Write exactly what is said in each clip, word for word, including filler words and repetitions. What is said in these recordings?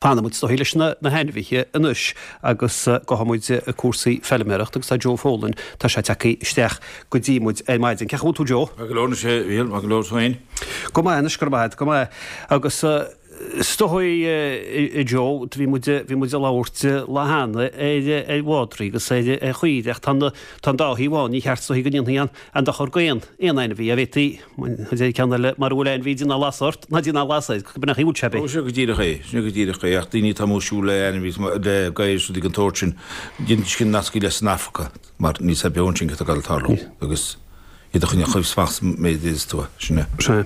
Fanfaidh muid is dóigh leis na hainmhithe anois agus gabhfaidh muid ag cúrsaí feilméarachta agus tá Joe Folan, tá sé tagtha isteach go dtí muid ar maidin. Cén chaoi a bhfuil tú Joe? Maith go leor anois a Mhíchíl, maith go leor tú féin? Go maith anois, go raibh maith agat, go maith. Agus is dóigh a Joe, bhí muid, bhí muid ag labhairt lá cheana ar, ar mhadraí agus ar, ar chaoirigh ach tá na, tá an dá thaobh ann, ní cheart is dóigh go ndéanfaí aon, aon dochar d'aon, aon ainmhí, a bhféadfaí, Deir ceann eile, mara bhfuil ainmhí déan lasadh ort, ná déan lasadh air, b'in an chaoi a bhfuil sé. Ó, sin go díreach é, sin go díreach é, ach daoine atá amuigh ag siúl le ainmhí, le gadhair is rudaí den tsórt sin, déanfaidís sin nascaí leis san Afraic, mar níl sé beo ansin cad tá ag tarlú, agus iad a choinneáil chomh fast is a fhéadas tú, sin é. Sea.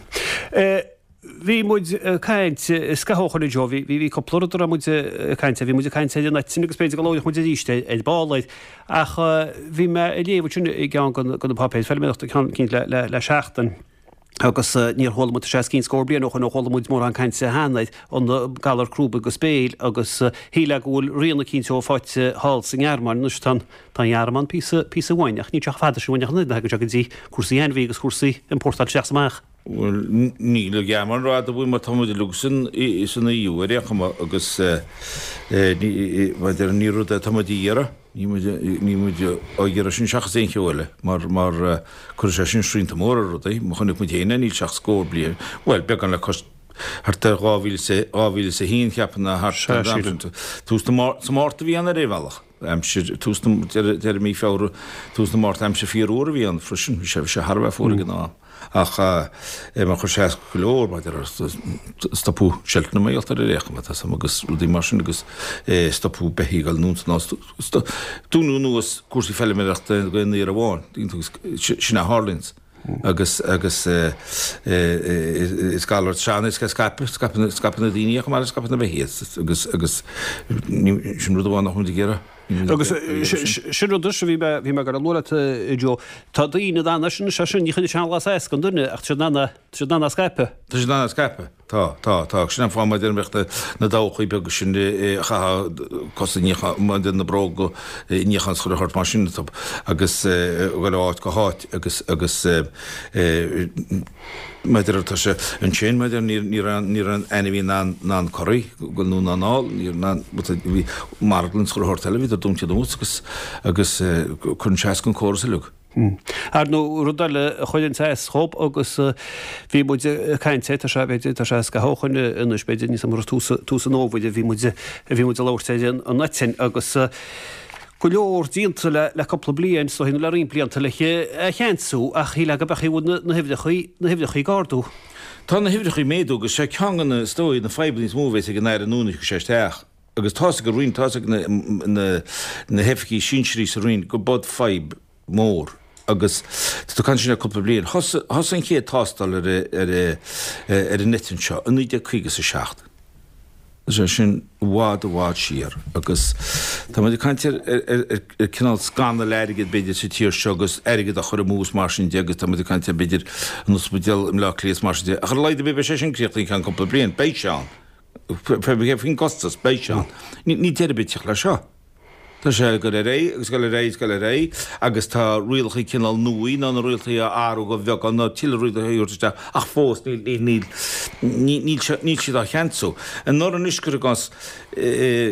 Bhí muid ag caint scaitheamh ó shin a Joe, bhí, bhí cúpla rud a raibh muid ag caint air, bhí muid ag caint ar an eitinn agus b'fhéidir go labhródh muid arís ar, ar ball air, ach bhí mé ag léamh ansin i gceann de na páipéir feilméarachta, ceann eicínt le, le, le seachtain, agus níor chuala muid, tá sé os cionn scór bliain ó shoin ó chuala muid mórán cainte cheana ar an galar crúb agus béil agus shílfeá go bhfuil rian eicínt dó faighte thall sa nGearmáin anois, tá an, tá an Ghearmáin píosa, píosa uainn ach níl sé chomh fada sin uainn ach an oiread, thagann sé go dtí cúrsaí ainmhí agus cúrsaí importáil isteach is amach. Bhuel, níl an Ghearmáin rófhada uainn mar tá muid uilig san san EU ar aon chuma agus mar a déarfá ní rud é atá muid a iarraidh, níl muid níl muid á iarraidh sin seachas aon cheo eile mar mar cuirfidh sé sin srianta móra ar rudaí. Má chonaic muid féin é níl sé ach scór bliain, bhuel beagán le cois thart ar dhá mhíle is a dhá mhíle is a haon cheapfainn ná thart ar an am sin. Tús na sa Márta a bhí ann ar aon bhealach. Aimsir, tús na, deireadh mí Feabhra, tús na Márta, aimsir fíorfhuar a bhí ann freisin, bhí sé bhí sé thar a bheith fuar ag an am. Ach mar chuir sé as go leor, mar a déarfá, stopadh seilteanna mar gheall air ar aon chuma, tá 's a'm, agus rudaí mar sin agus stopadh beithígh ag dul anonn is anall, dúnadh anuas cúrsaí feilméarachta d'aon uair amháin, agus sin a tharlaíonns. Agus agus is galar sean is scaipeann, scaipeann na daoine é chomh maith le scaipeann na beithígh agus agus sin rud amháin nach bhfuil muid ag iarraidh. Agus sin rud is bhí mé bhí mé ag goil a lua leat a Joe, tá daoine in ann sin sé sin ní chuirfidh sé an lasadh as don duine ach tá siad in ann tá siad in ann é a scaipeadh. Tá siad in ann é a scaipeadh. Tá, tá, tá. Sin an fáth mar a déarfá go mbeadh na dabhachaí beaga sin a chaithfeá cosa a níochán, mar a déarfá na bróga a níochán is chuile shórt mar sin agus a dhul ó áit go háit agus agus mar a déarfá tá sé ansin mar a déarfá ní raibh ní raibh an ainmhí in ann in ann corraí go anonn ná anall ní raibh in ann bhí marglann is chuile shórt eile bhíodar dúnta anuas agus agus cuireann sé as don córas uilig. Ar ndóigh rud eile a chuireann as dhób agus bhí muid ag caint air tá sé b'fhéidir tá sé scaitheamh ó shoin anois b'fhéidir níos mó tús tús an fhómhair a bhí muid a bhí muid ag labhairt ar an eitinn agus go leor déanta le le cúpla bliain is dóigh nó le roinnt blianta le é a cheansú ach shílfeá go mbeadh bhfuil na huimhreacha na huimhreacha ag ardú. Tá na huimhreacha ag méadú agus sé ceann de na is dóigh na fadhbanna is mó a bheas ag an Aire nua nuair a thiocfaidh sé isteach agus tá's ag an Roinn tá's ag na na na hoifigigh sinsearaí sa Roinn go b'od fadhb mhór agus tá tú ag caint sin le cúpla bliain. Thosaigh thosaigh an chéad tástáil ar ar ar an eitinn seo i naoi déag caoga is a seacht. Tá sé sin i bhfad i bhfad siar agus tá muid ag caint ar ar cineál scannal airgid b'fhéidir sa tír seo agus airgead á chur amú is mar sin de agus tá muid ag caint ar b'fhéidir an ospidéal i mBleá Cliath is mar sin de ach ar a laghad ar bith beidh sé sin críochnaithe i gceann cúpla bliain, beidh sé ann. Faoin gcostas, beidh sé ann. Níl deireadh ar bith ag teacht leis seo. Tá sé ag dul ar aghaidh agus ag dul ar aghaidh agus ag dul ar aghaidh agus tá rialacha cineál nua nó na rialacha á athrú de bheagán nó tuilleadh rialacha a thabhairt isteach ach fós níl níl níl níl sé níl siad á cheansú. Anuraidh anois cuir i gcás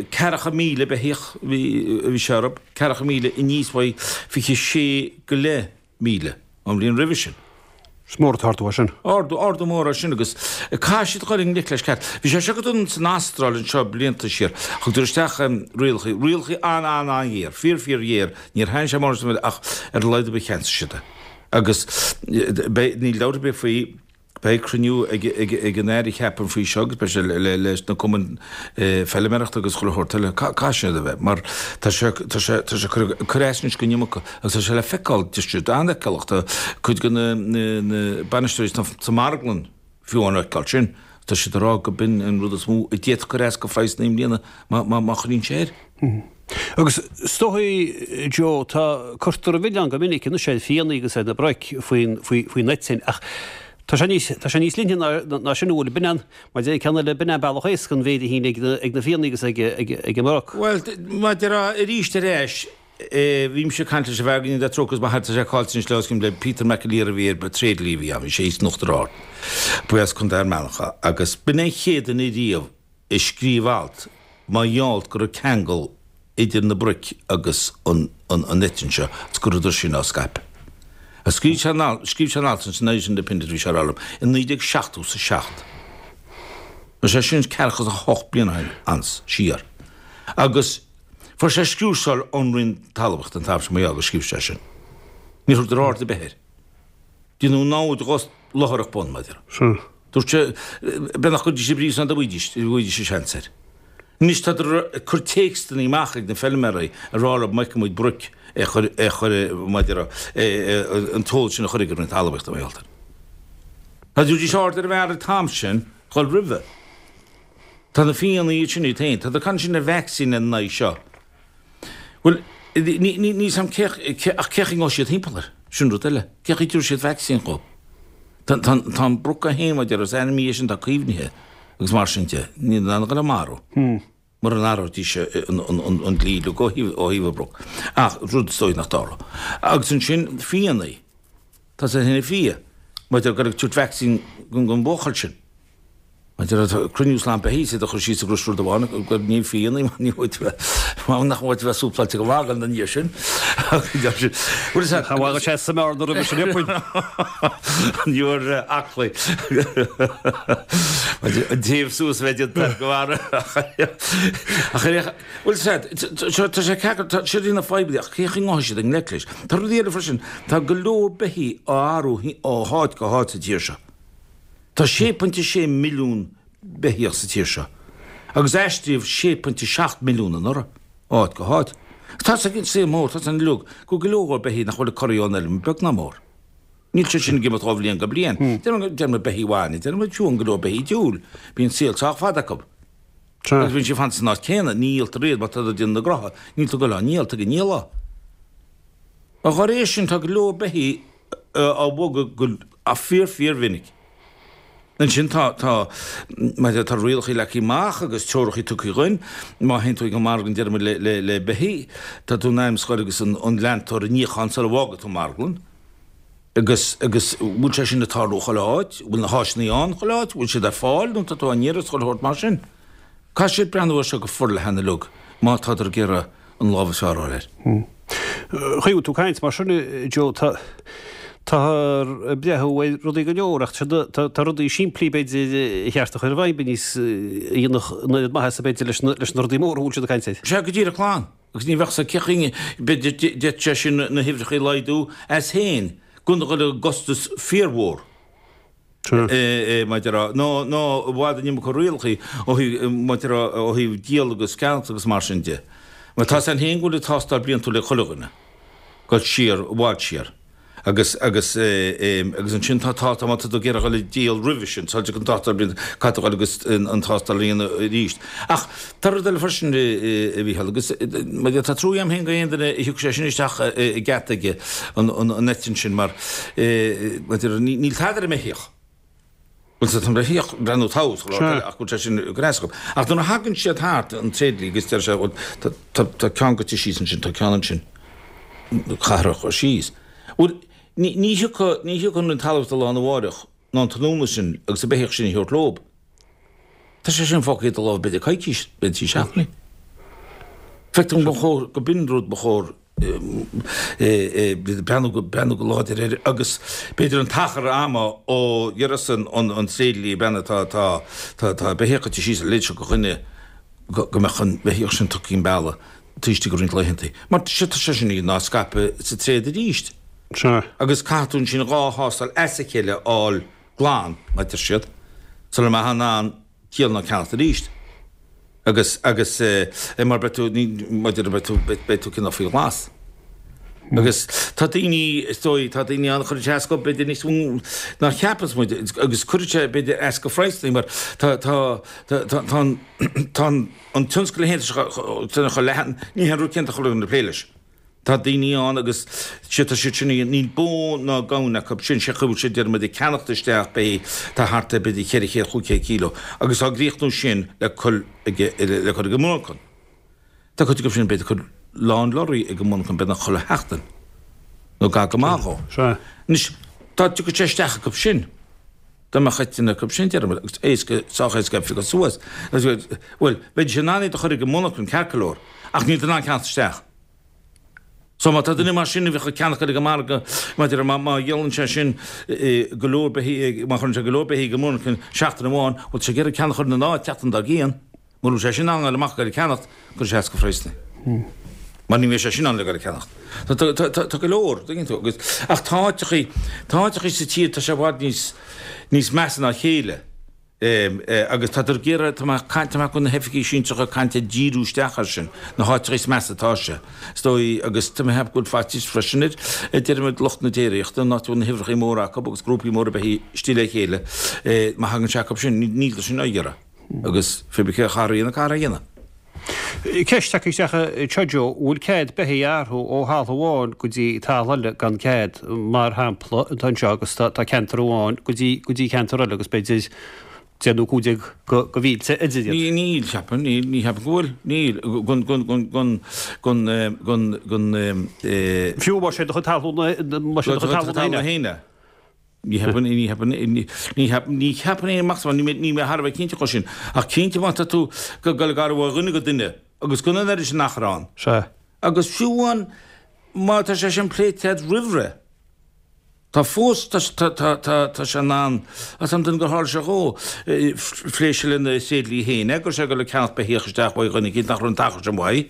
ceathracha míle beithíoch a bhí a bhí sé orthu, ceathracha míle aníos uaidh fiche sé go leith míle an bhliain roimhe sin. Is mór an t-ardú é sin. Ardú, ardú mór é sin agus caithfidh siad dul i ngleic leis ceart. Bhí sé seo go dona san Astráil anseo blianta siar. Thugadar isteach rialacha, rialacha an-an-an-ghéar, fíor fíor ghéar. Níor thaitin sé mórán san ach ar a laghad ar bith cheansaigh siad é. Agus beidh, níl dabht ar bith faoi, Beidh cruinniú ag an Aire cheapfainn faoi seo agus beidh sé leis na cumainn feilméarachta agus chuile shórt eile. Caithfidh siad a bheith mar tá sé tá sé tá sé ag cur as anois don iomarca agus tá sé le feiceáil tá sé an-fheiceálach tá cuid de na na bainisteoirí sa marglann fiú á fheiceáil sin. Tá siad ag rá go b'in an rud is mó a d'fhéadfadh cur as do phraghsanna i mbliana má má choinníonn sé air. Agus is dóigh, Joe, tá, cuirtear an milleán go minic anois ar fianna agus ar na broic faoin, faoi, faoin eitinn ach tá sé níos, tá sé níos leithne ná, ná sin an bhfuil, b'in an, mar deir ceann eile, b'in an bealach éasca an mhéid a shíneadh ag na, ag na fianna agus ag, ag, ag an mbroc. Bhuel, mar a déarfá arís ar ais, bhí mise ag caint leis an bhfear go ndéana Dia trócaire air, m'athair, tá sé caillte anois le os cionn le Peter McAleer a bhí ar, tréidlia a bhí ann, bhí sé thíos in Uachtar Ard, ba as Contae Fhear Manach é agus b'in é an chéad duine riamh, ag scríobh alt mar gheall go raibh ceangal idir na broic agus an an eitinn seo agus go rabhadar sin á scaipeadh. Scríobh sé an alt, scríobh sé an alt san Irish Independent bhí sé á rá liom, i naoi déag seachtó is a seacht. Tá sé sin ceathracha is a hocht bliain ó shin, ans, siar. Agus fuair sé scriúsáil ón Roinn Talmhaíochta an t-am sin mar gheall gur scríobh sé sin. Níor thugadar aird ar bith air. Déanadh namhaid dhos luthaireach bun, mar a déarfá. Dúirt sé, beag nach gcuirfidís i bpríosún é dá bhfaighidís, dá bhfaighidís an seans air. Anois tádar ag cur téacsanna amach ag na feilméaraí ag rá leo má fheiceann muid broic é chur, é chur, mar a déarfá, an t-eolas sin a chur ag an Roinn Talmhaíochta, mar gheall air. Dá dtabharfaidís aird ar an bhfear an t-am sin, dhul roimhe. Tá na fianna iad sin iad féin, tá ag caint sin ar vacsaín ina n-aghaidh seo. Bhuel, ní, ní, níl 's a'm cé, cé, ach cé chaoi a ngabhfaidh siad thimpeall air? Sin rud eile. Cé chaoi a dtabharfaidh siad vacsaín dhó? Tá, tá, tá an broc é féin, mar a déarfá, is ainmhí é sin atá caomhnaithe agus mar sin de, níl in ann a dhul á marú. Mura n-athróidís an, an, an, an dlí uilig ó thaobh, ó thaobh an bhroc. Ach rud is dóigh nach dtarlódh. Agus ansin, fianna. Tá sé ina fhia, mar a déarfá, ag tabhairt vacsaín don, don bhuachaill sin. Mar a déarfá, cruinniú slám beithígh, is iad a chur síos i gcrois rud amháin, gur ní fianna, mar ní bhfuil tú mar nach bhfuil tú bheith súpláilte go maith ina dhiaidh sin. Bhuel, is ea. Cha bhfaigheadh sé sa mbearna roimhe sin, puinn. An uair aclaí. An téamh suas a bheith déanta go mara. Ach ar Bhuel, is ea, tá sé ceacair, tá siad ina fadhb ach cé chaoi a ngabhfaidh siad i ngleic leis? Tá rudaí eile freisin, tá go leor beithígh á athrú ó háit go háit sa tír seo. Tá sé pointe sé milliún beithíoch sa tír seo agus aistríodh sé pointe seacht milliún anuraidh, ó áit go háit. Tá 's ag an saol mór, tá 's againn uilig go bhfuil go leor beithígh nach bhfuil ag corraí ón fheilm, beag ná mór. Níl siad sin ag imeacht ó bhliain go bliain. Deir muid beithígh bhainne, deir muid fiú go leor beithígh diúil, bíonn saol sách fada acu. Agus bíonn siad ag fanacht san áit céanna, ní dhíoltar iad mar tá ag déanamh na gcrotha, níl tú ag goil á ndíol, tá ag an ndíol á. Dá réir sin tá go leor beithígh á bhogadh go fíor fíor mhinic. Ansin tá, tá, mar tá rialacha leagtha amach agus treoracha tugtha dhuinn, má théann tú ag an marglann deir muid le, le, le beithígh, tá tú in ainm is a ghoil agus an, an leantóir a níochán sula bhfágfaidh tú an marglann. Agus, agus bhfuil sé sin ag tarlú chuile áit? Bhfuil na háiseanna ann chuile áit? Bhfuil siad ar fáil nó tá tú á n-iarraidh chuile shórt mar sin? Caithfidh siad breathnú air seo go forleathan uilig má tádar ag iarraidh an lámh is fearr a fháil air. Chuaigh tú caint mar sin, Joe, tá táthar ag breathnú ar rudaí go leor ach tá rudaí simplí b'fhéidir a cheart a chur i bhfeidhm níos a dhéanfadh an oiread maitheasa b'fhéidir leis na rudaí móra a bhfuil siad ag caint air. Sea, go díreach glan. Agus ní bheadh sa cé chaoi b'fhéidir d'fhéadfadh sé sin na huimhreacha a laghdú as féin gan a dhul i gcostas fíormhór. Mar a déarfá, nó nó i bhfad an iomarca rialacha ó thaobh mar a déarfá ó thaobh díol agus ceannacht agus mar sin de. Mar tá 's againn féin go bhfuil an tástáil bliantúil ag chuile dhuine, dul siar, i bhfad siar. Agus agus agus ansin tá tá má tá tú ag iarraidh dhul ag díol roimhe sin, sula dtiocfaidh an tástáil bliantúil, caithfidh tú dhul agus an tástáil a dhéanamh arís. Ach tá rud eile freisin a Mhícheáil, agus mar a déarfá tá trua agam féin go aon duine a thiocfaidh sé sin isteach i gceart aige, an an eitinn sin, mar mar a déarfá níl tada ar an mbeithíoch. Bhuel, tá an beithíoch ag breathnú thomhas, ach go bhfuil sé sin gnásach. Ach nuair a thagann siad thart an tréidlia agus deir sé, bhuel, tá tá ceann goite síos ansin, tá ceann ansin, caithfear a chur síos. Bhuel, ní ní thiocfaidh ní thiocfaidh an Roinn Talmhaíochta lá arna mháireach ná an tráthnóna sin agus an beithíoch sin a thabhairt leob. Tá sé sin fágtha i do lámh b'fhéidir coicís, b'fhéidir trí seachtainí. Feictear dom gur chóir go b'in rud ba chóir breathnú go breathnú go láidir air agus b'fhéidir an t-achar ama ó dheireadh an an tréidlia breathnaigh tá tá tá tá beithíoch goite síos a leithéid seo go dhuine go mbeadh an beithíoch sin tugtha chun bealaigh taobh istigh de roinnt laethanta. Mar tá sé sin á scaipeadh sa tréad arís. Sea. Agus caithfidh tú ansin dhá thástáil as a chéile a fháil glan, mar a deir siad, sula mbeifeá in ann díol ná ceannacht arís. Agus, agus eh, mar beidh tú, ní, mar a déarfá beidh tú, beidh tú cineál faoi ghlas. Agus tá daoine, is dóigh, tá daoine ann a chuireann sé as go, b'fhéidir níos mó ná cheapas muid, agus cuireann sé, b'fhéidir, as go phraghsanna mar tá, tá, tá, tá, tá an, tá an, an tionscal féin tá chomh leathan, ní haon rud céanna atá chuile dhuine ag plé leis. Tá daoine ann agus sé tá siad sin, níl bó ná gamhain acu sin, sé chaoi a bhfuil siad deir muid ag ceannacht isteach beithígh tá thart ar b'fhéidir cheithre chéad, chúig chéad kíló agus á gcríochnú sin le cur ag, le cur ag an monarchan. Tá cuid acu sin b'fhéidir ag cur lán lorraí ag an monarchan beagnach chuile sheachtain nó gar go maith dhó. Sea. Anois dá dtiocfadh sé isteach acu sin, Dá mbeadh eitinn acu sin, deirim, agus éasca, sách éasca é a phiocadh suas. Bhuel, bheidís in ann iad a chur ag an monarchan ceart go leor, ach níl tú in ann ceannacht isteach. So má tá duine mar sin a bheadh ag ceannach ar an margadh, maidir le má dhíolann sé sin go leor beithígh, má chuireann sé go leor beithígh ag an monarchan seachtain amháin, bhuel tá sé ag iarraidh ceannach a chur ina n-áit tseachtain dár gcionn. Mura bhfuil sé sin in ann a ghoil amach ag goil ag ceannacht, cuirfidh sé as go phraghsanna. Mar ní bheidh sé sin in ann le goil ag ceannacht. Tá go leor, tuigeann tú, agus, ach tá áiteachaí, tá áiteachaí sa tír, tá sé i bhfad níos, níos measa ná a chéile. Agus tá ag iarraidh, tá mé ag caint, tá mé ag na hoifigigh sinsearacha ag caint ag díriú isteach air sin, na háiteachaí is measa atá sé. Is dóigh, agus tá mé ag ceapadh go bhfuil faitíos freisin ar, a deirimid, lucht na déiríochta, an áit a bhfuil na huimhreachaí móra acu agus grúpaí móra beithígh istigh le chéile, má thagann sé acu sin, níl sin á iarraidh. Agus pé bith cé a chaithfear a dhéanamh, caithfear é a dhéanamh. Ceist tagtha isteach anseo Joe, an bhfuil cead beithígh a athrú ó thalamh amháin go dtí talamh eile gan cead, mar shampla, atá anseo agus tá ceantar amháin go dtí go dtí ceantar eile agus b'fhéidir deich nó cúig déag go go mhílte idir iad. Níl, níl, cheapfainn, níl, ní cheapaim go bhfuil, níl, gon, gon, gon, gon, gon, gon, gon, eh. Fiú más é do chuid talún, más é do chuid talún féin é. Ní cheapaim, ní cheapaim, ní cheapaim, ní cheapaim aon amach níl mé, níl mé thar a bheith cinnte dhó sin. Ach cinnte má tá tú ag goil ag athrú ó dhuine go duine agus gan an oiread sin achar ann. Sea. Agus fiú amháin má tá sé sin pléite agat roimh ré, tá fós, tá, tá, tá, tá, tá sé in ann, tá an duine gur tharla sé dhó, phléigh sé lena thréidlia féin é, go raibh sé ag goil ag ceannacht beithíoch isteach uaidh dhuine eicínt nach raibh an t-achar sin uaidh.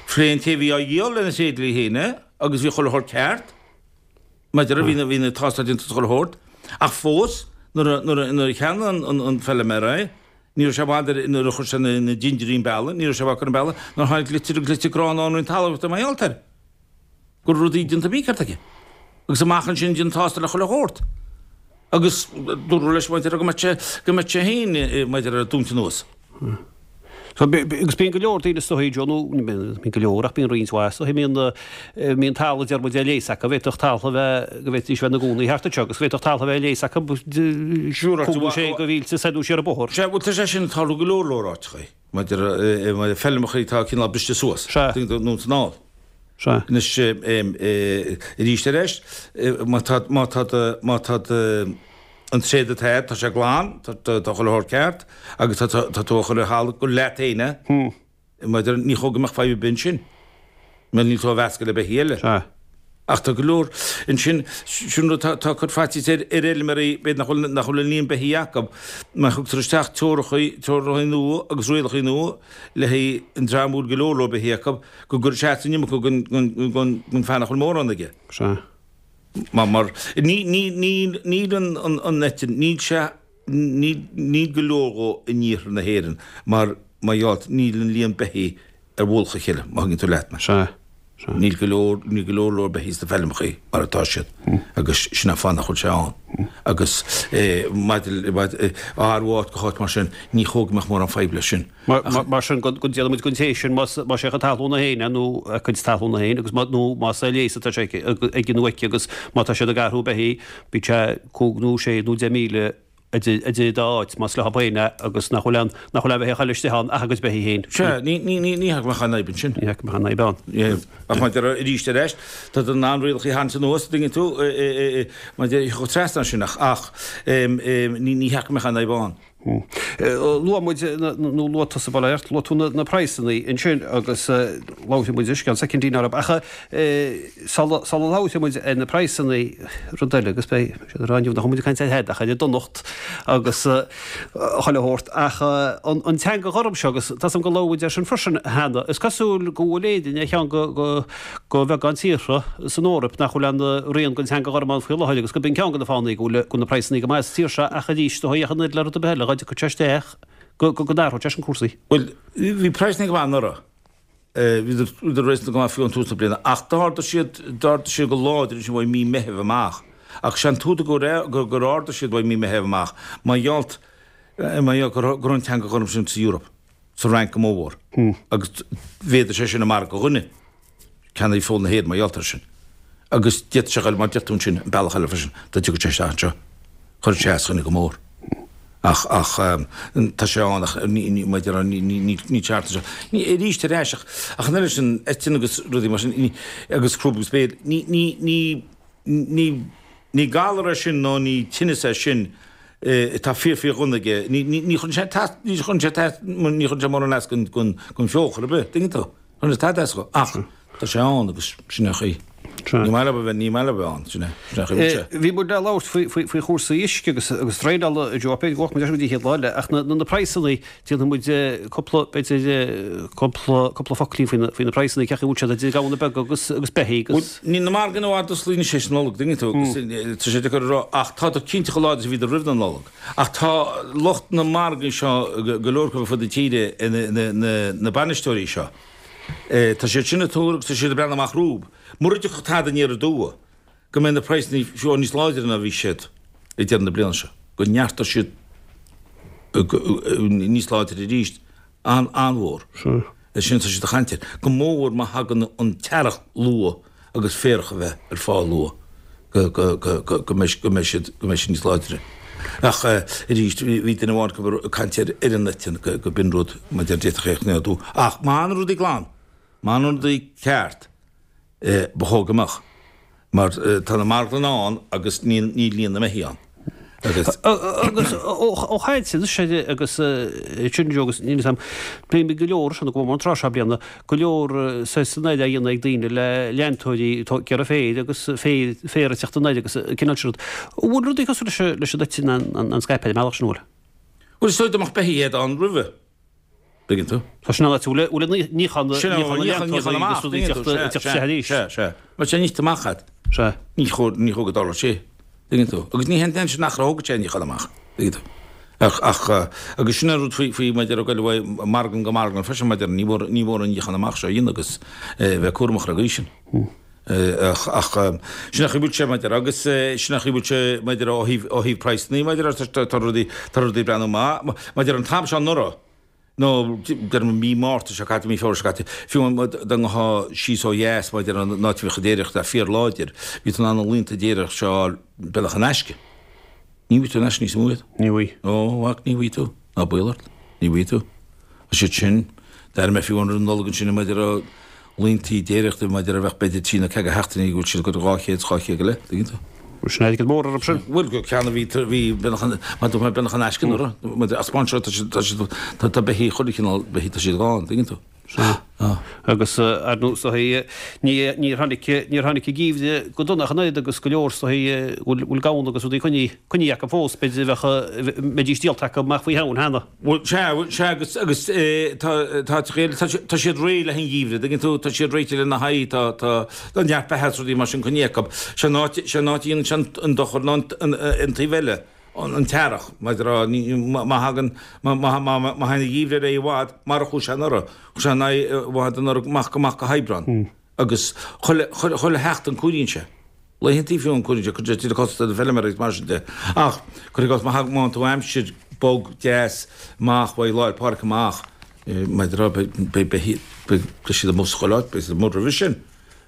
Phléigh an té a bhí á dhíol lena thréidlia féin é agus bhí chuile shórt ceart. Maidir le, bhí na, bhí na tástáil déanta is chuile shórt, ach fós, nuair a, nuair a, nuair a cheannaigh an, an, an feilméara é, ní raibh sé i bhfad ar, nuair a chuir sé na, na dindiúirí an bealaigh, ní raibh sé i bhfad ar an bealach nuair a tháinig litir agus litir gránna ón Roinn Talmhaíochta mar gheall air, go raibh rudaí déanta mícheart aige. Agus amach ansin déanamh tástáil ar chuile shórt. Agus dúradh leis maidir le go mbeadh sé, go mbeadh sé féin maidir le dúnta anuas. Agus bíonn go leor daoine is dóigh, Joe, nó ní bíonn go leor ach bíonn roinnt mhaith is dóigh, bíonn, bíonn talamh deir muid ar léas acu, bhféadfadh talamh a bheith, go bhféadfaidís bheith ina gcónaí thart anseo agus bhféadfadh talamh a bheith ar léas acu cúig nó sé de mhílte soir nó siar an bóthar. Sea, bhuel tá sé sin ag tarlú go leor leor áiteachaí, maidir le feilmeachaí atá cineál briste suas, Sea. nó san ál. Sea. Anois, arís ar ais, má tá, má tá do, má tá do, an tréad atá agat, tá sé glan, tá, tá chuile shórt ceart, agus tá, tá, tá tú á chur ar thalamh gur leat féin é, maidir, ní chóir go mbeadh fadhb ar bith ansin, mar níl tú á mheascadh le beithígh eile. Sea. Ach tá go leor ansin, sin rud, tá, tá cur faitíos ar, ar fheilméaraí, b'fhéidir nach bhfuil, nach bhfuil an líon beithígh acu, má thugtar isteach teorachaí, teorachaí nua agus rialachaí nua le haghaidh an dream a bhfuil go leor leor beithígh acu, go gcuirfidh sé as an iomarca gon, gon, gon, gon fear nach bhfuil mórán aige. Sea. Mar, mar, ní, ní, níl, níl an, an, an eitinn, níl sé, níl, níl go leor dhó in iarthar na hÉireann mar, mar gheall, níl an líon beithígh ar mhullach a chéile, má thuigeann tú leat mé. Sea, sea. Níl go leor, níl go leor leor beithígh sna feilmeachaí mar atá siad agus sin an fáth nach bhfuil sé ann. Agus eh, maidir, maidir, eh, ar áit go háit mar sin, ní chóir go mbeadh mórán fadhb leis sin. Mar sin, go ndéanfaidh muid den té sin, más é a chuid talún féin é nó a cuid talún féin agus nó más ar léas atá sé aige nó aici agus má tá siad ag athrú beithígh, bíodh sé cúig nó sé nó deich míle idir dá áit, más leo féin é agus nach bhfuil aon nach bhfuil aon bheithíoch eile istigh ann ach a gcuid beithígh féin. Sea, ní ní ní ní hea go mbeadh aon fhadhb ansin. Ní hea go mbeadh aon fhadhb ann. Ach maidir arís ar ais, tá tú in ann rialacha a tharraingt anuas, tuigeann tú, maidir chomh trasna sin ach ach ní ní hea go mbeadh aon fhadhb ann. Luaigh muid, nó luaigh tusa, bail ó Dhia ort, luaigh tú na praghsanna ansin agus labharfaidh muid anois i gceann soicindín orthu. Ach sula labharfaidh muid ar na praghsanna, rud eile, agus beidh siad ag rá inniu nach bhfuil muid ag caint ar tada ach ar an donacht agus chuile shórt, ach an teanga ghorm seo, agus tá 's agam gur labhair muid air sin freisin cheana, is cosúil go bhfuil Éirinn ar cheann de bheagán tíortha san Eoraip nach bhfuil aon rian den teanga ghorm ann faoi láthair agus gurb in ceann de na fáthanna go bhfuil na praghsanna go maith sa tír seo ach arís, do ach an oiread le rud ar bith eile, dhá dtiocfadh sé isteach go n-athródh sé sin cúrsaí. Bhuel, bhí praghsanna go maith anuraidh. Bhíodar réasúnta go maith fiú ag tús na bliana ach d'ardaigh siad, d'ardaigh siad go láidir ansin uaidh mí Meithimh amach. Ach sé an t-údar go, gur ardaigh siad uaidh mí Meithimh amach, mar gheall, mar gheall go raibh an teanga ghorm sin sa Eoraip, sa Fhrainc go mórmhór agus mhéadaigh sé sin an margadh do dhuine. Ceannaigh feoil na hÉireann mar gheall air sin. Agus d'fhéadfadh sé a ghoil mar deir tú ansin, an bealach eile freisin, dá dtiocfadh sé isteach anseo. Chuirfeadh sé as dhuine go mór. Ach, ach, tá sé ann ach ní, ní, mar a déarfá, ní, ní, ní, ní ceart anseo. Ní, arís ar ais ach, ach an oiread sin eitinn agus rudaí mar sin, ní, agus crúb agus béil, ní, ní, ní, ní, ní galar é sin nó ní tinneas é sin Tá fíor fíor dhona aige. Ní ní ní chuireann sé tas ní chuireann sé tas ní chuireann sé mórán as gon gon gon feoch ar bith, tuigeann tú? Chuireann sé tada as dho. Ach tá sé ann agus sin é an chaoi. Ní maith leo a bheith ní maith leo a bheith ann, sin é sin é an chaoi a bhfuil sé. Bhí muid le labhairt faoi faoi faoi chúrsaí uisce agus agus draenála a Joe, b'fhéidir go bhfágfaidh muid é sin go dtí an chéad lá eile ach na na praghsanna déanfaidh muid cúpla b'fhéidir cúpla cúpla focailín faoi na faoi na praghsanna cén chaoi a bhfuil siad idir gamhna beaga agus agus beithígh agus. Bhuel níl na margaí i bhfad osclaithe anois théis Nollag, tuigeann tú, agus tá sé deacair a rá ach tádar cinnte chomh láidir is a bhíodar roimh na Nollag. Ach tá lucht na margaí seo, go leor acu ar fud na tíre, na bainisteoirí seo, tá siad sin ag tuar agus tá siad ag breathnú amach rompu, mura dtiocfadh tada aniar aduaidh, go mbeidh na praghsanna fiú níos láidre ná a bhí siad ag deireadh na bliana seo, go neartóidh siad níos láidre arís, an-mhór. É sin atá siad ag caint air. Go mór má thagann an t-earrach luath agus féarach a bheith ar fáil luath, go, go, go, go, go mbeidh, go mbeidh siad, go mbeidh siad níos láidre. Ach arís, bhí duine amháin acu ag caint ar, ar an eitinn, go, go b'in rud, mar a deir, d'fhéadfadh é a choinneáil. Ach má fhanann rudaí glan, má fhanann rudaí ceart, ba chóir go mbeadh. Mar tá na marglanna ann agus níl líon na mbeithígh ann. Agus ó chaint anois air agus sin Joe agus níl a fhios agam, bíonn go leor, sin go mór an tráth seo bliana, go leor saghas oibre á dhéanamh ag daoine le leantóirí atá ag iarraidh féir agus féar féar ag teacht anoir agus an cineál sin rud. An bhfuil rudaí cosúil leis leis an eitinn an scaipthe ar an mbealach sin, an bhfuil? Bhuel is dóigh dá mbeadh beithígh ann roimhe. Tuigeann tú? Tá sin an áit a bhfuil bhfuil an níochán níochán na leantóirí agus rudaí ag teacht ag teacht isteach arís. Sea, sea. Mar tá sé nite amach agat. Sea. Ní chóir ní chóir go dtarlódh sé. Tuigeann tú? Agus ní hé an sin nach raibh thógadh sé an níochán amach. Tuigeann tú? Ach ach agus sin an rud faoi faoi maidir le goil uaidh marglann go marglann freisin maidir ní mhór ní mhór an níochán amach seo a dhéanamh agus bheith cúramach ar an gcaoi sin. Ach ach sin an chaoi a bhfuil sé maidir agus sin an chaoi a bhfuil sé maidir ó thaobh ó thaobh praghsanna maidir tá tá rudaí tá rudaí ag breathnú maith maidir an t-am seo anuraidh nó deirim mí Márta seo caite, mí Feabhra seo caite, fiú dá ngabhfá síos ó dheas maidir an áit a bhíodh an déiríocht fíorláidir, bhí tú in ann na laethanta déiríochta seo a fháil beagnach in aisce. Ní bhfaighidh tú in aisce níos mó iad. Ní bhfaighidh. Ó, a mhac, ní bhfaighidh tú. Ná baol ort. Ní bhfaighidh tú. Tá siad sin, d'airigh mé fiú roimh an Nollaig ansin maidir le laethanta déiríochta maidir a bheadh b'fhéidir trí nó ceathair sheachtainí go bhfuil siad ag cur dhá chéad, dhá chéad go leith, tuigeann tú. Sin airgead mór orthu sin. Bhuel, go ceann a bhí, bhí beagnach an, mar dúirt mé, beagnach in aisce anuraidh. Mar as spáin seo, tá siad, tá siad, tá, tá beithígh chuile chineál beithígh, tá siad gann, tuigeann tú. Sea. Agus ar ndóigh, is dóigh, ní, níor tháinig, níor tháinig an geimhreadh go dona ach an oiread agus go leor, is dóigh, bhfuil, bhfuil gamhna agus rudaí coinnithe, coinnithe acu fós, b'fhéidir a bheadh, mbeidís díolta acu amach faoi Shamhain cheana. Bhuel, sea, sea, agus, agus tá, tá, tá siad réidh le an gheimhreadh, tuigeann tú, tá siad réitithe lena haghaidh, tá, tá, tá neart beatha is rudaí mar sin coinnithe acu. Sé an áit, sé an áit a dhéanann sé an, an dochar ná an, an, an taobh eile, an, an t-earrach, mar a, ní, má, má thagann, má, má, má, má thagann an geimhreadh ar aghaidh i bhfad, mar a chuaigh sé anuraidh, chuaigh sé ar aghaidh i bhfad anuraidh amach, amach go hAibreán. Agus chuile, chuile, chuile sheachtain cóiríonn sé. Laethantaí fiú an cuireann sé, cuireann sé tuilleadh costas ar an bhfeilméara agus mar sin de. Ach, cuir i gcás, má thagann tú aimsir bog deas amach uaidh Lá 'le Pádraig amach, maidir le, beidh, beidh, beidh siad amuigh sa chuile áit, beidh siad amuigh roimhe sin,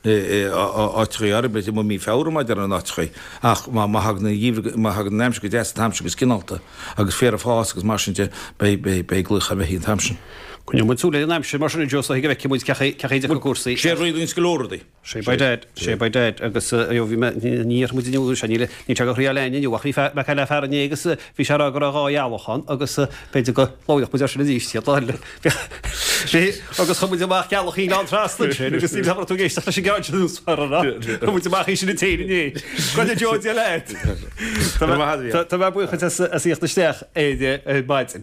áiteachaí áirithe, beidh siad amuigh mí Feabhra maidir in áiteachaí. Ach má, má thagann an geimhreadh, má thagann an aimsir go deas an t-am sin agus cineálta agus féar ag fás agus mar sin de, beidh, beidh, beidh glaoch ar bheithígh an t-am sin. Coinneoidh muid súil ar an aimsir mar sin, a Joe, so go bhfeicfidh muid cén chaoi, cén chaoi a dtiocfaidh cúrsaí. Sé a rialaíonns go leor rudaí. Sé by dad, sé by dad agus ayo bhí mé, ní dhéarfaidh muid inniu sé, níl níl sé go chroí leain inniu ach bhí fear, mé ag caint le fear inné agus bhí sé ag rá go raibh dhá ghealach ann agus b'fhéidir go labhródh muid air sin arís chéad lá eile. Bhí, agus chuir muid amach gealach Oileán Trasna ansin agus níl raibh tú ag éisteacht leis an gceann sin úsmhar an raibh? Chuir muid amach í sin an téin inné. Go deo Dia leat! Tá mé buíoch as as a thíocht isteach ar maidin.